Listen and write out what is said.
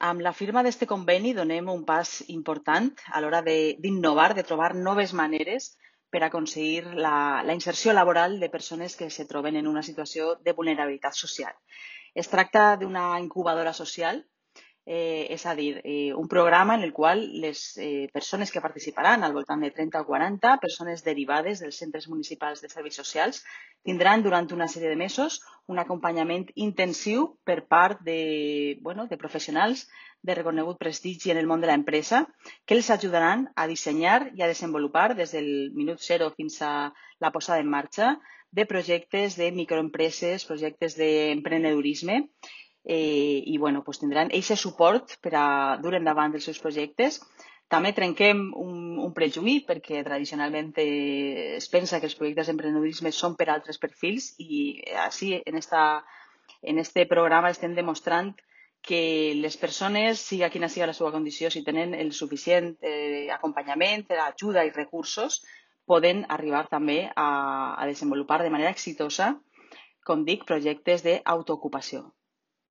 Amb la firma d'este conveni donem un pas important a l'hora d'innovar, de trobar noves maneres per aconseguir la inserció laboral de persones que se troben en una situació de vulnerabilitat social. Es tracta d'una incubadora social, és a dir, un programa en el qual les persones que participaran, al voltant de 30 o 40 persones derivades dels centres municipals de serveis socials, tindran durant una sèrie de mesos un acompanyament intensiu per part de professionals de reconegut prestigi en el món de l'empresa que els ajudaran a dissenyar i a desenvolupar des del minut zero fins a la posada en marxa de projectes de microempreses, projectes d'emprenedorisme pues tindran aquest suport per a dur endavant els seus projectes. També trenquem un prejuí perquè tradicionalment es pensa que els projectes d'emprenedorisme són per a altres perfils i així en este programa estem demostrant que les persones, siga quina siga la seva condició, si tenen el suficient acompanyament, ajuda i recursos, poden arribar també a desenvolupar de manera exitosa, com dic, projectes d'autoocupació.